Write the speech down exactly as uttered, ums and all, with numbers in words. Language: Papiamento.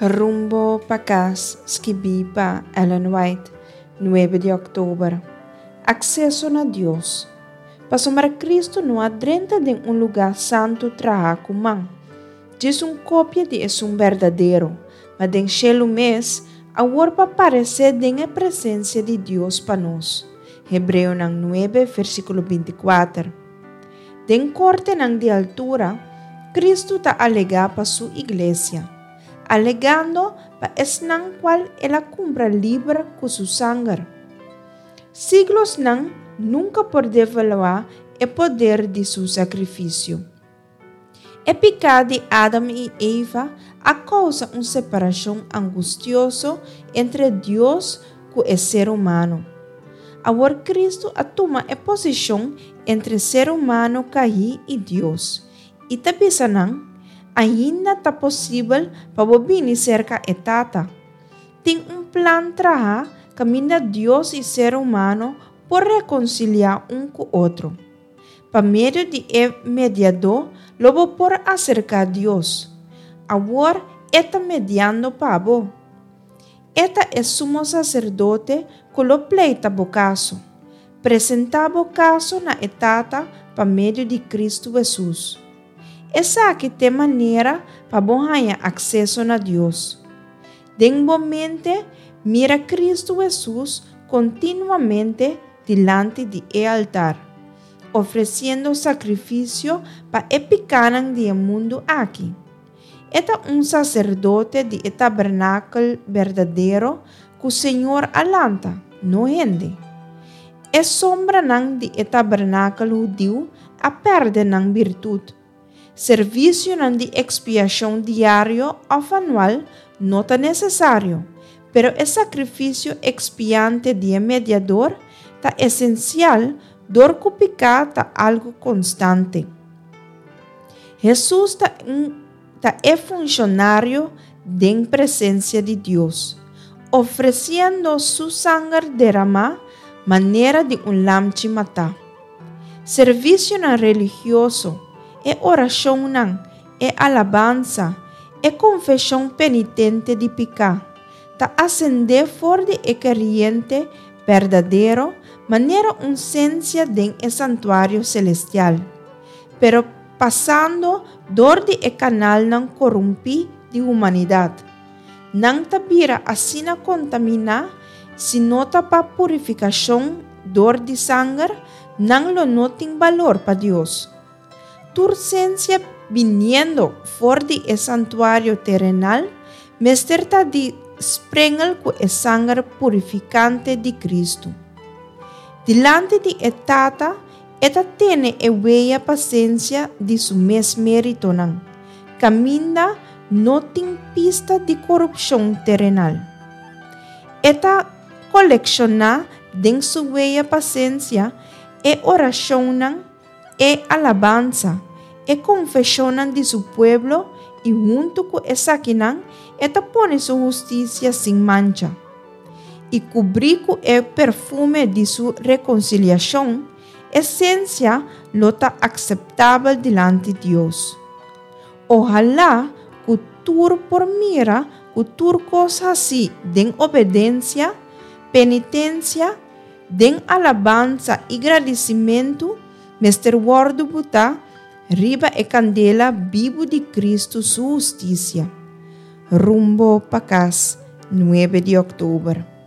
Rumbo pa Kas, skibí pa Ellen White, nuebe di òktober. Akseso na Dios. Pasobra Kristu no a drenta den un lugá santu trahá ku man, djis un kopia di esun berdadero, ma den shelu mes, awor pa paresé den e presensia di Dios pa nos. Hebreonan nuebe, versíkulo binti kuater. Den kortenan di altura, Kristu ta alegá pa su iglesia, alegando pa esnan kual el a kumpra liber ku su sanger. Siglosnan nunka por devaluá e poder di su sakrifisio. E piká di Adam i Eva a kousa un separashon angustioso entre Dios ku e ser humano. Awor Kristu a tuma e posishon entre ser humano kaí i Dios, i ta bisa nan, Ainda ta posibel pa bo bini serka e Tata. Tin un plan trahá kaminda Dios i ser humano por rekonsiliá un ku otro. Pa medio di e Mediadó lo bo por aserká Dios. Awor E ta mediando pa bo. E ta e Sumo Saserdote ku lo pleita bo kaso. Presentá bo kaso na e Tata pa medio di Kristu Hesus. Esaki t'e manera pa bo haña akseso na Dios. Den bo mente, mira Kristu Hesus kontinuamente dilanti di e altar, ofresiendo sakrifisio pa e pikánan di e mundu aki. E ta un saserdote di e tabernakel berdadero ku Señor a lanta, no hende. E sombranan di e tabernakel hudiu a pèrdè nan birtut. Servisionan di ekspiashon diario òf anual no ta nesesario, pero e sakrifisio ekspiante di e Mediador ta esensial dor ku piká ta algu konstante. Hesus ta un ta e funshonario den presensia di Dios, ofresiendo su sanger deramá manera di un lamchi matá. Servisionan religioso, e orashonnan, e alabansa, e konfeshon penitente di piká, ta asendé for di e keriente berdadero manera un sensia den e santuario selestial, pero pasando dor di e kanalnan korumpí di humanidat. Nan ta bira asina kontaminá, si no ta pa purifikashon dor di sanger, nan lo no tin balor pa Dios. Tur sensia biniendo for di e santuario terenal mester ta di sprengel ku e sanger purifikante di Kristu. Dilanti di e Tata e ta tene e wea pa sensia di su mes méritonan, kaminda no tin pista di korupshon terenal. E ta kolekshoná den su wea pa sensia e orashonnan, e alabansa, e konfeshonnan di su pueblo i huntu ku esakinan e ta pone su hustisia sin mancha. I kubrí ku e perfume di su rekonsiliashon, e sensia lo ta akseptabel dilanti Dios. Ohalá ku tur por mira ku tur kos hasí den obedensia, penitensia, den alabansa i gradisimentu mester wòrdu butá riba e kandela bibu di Kristu su hustisia. Rumbo pa kas, nuebe di òktober.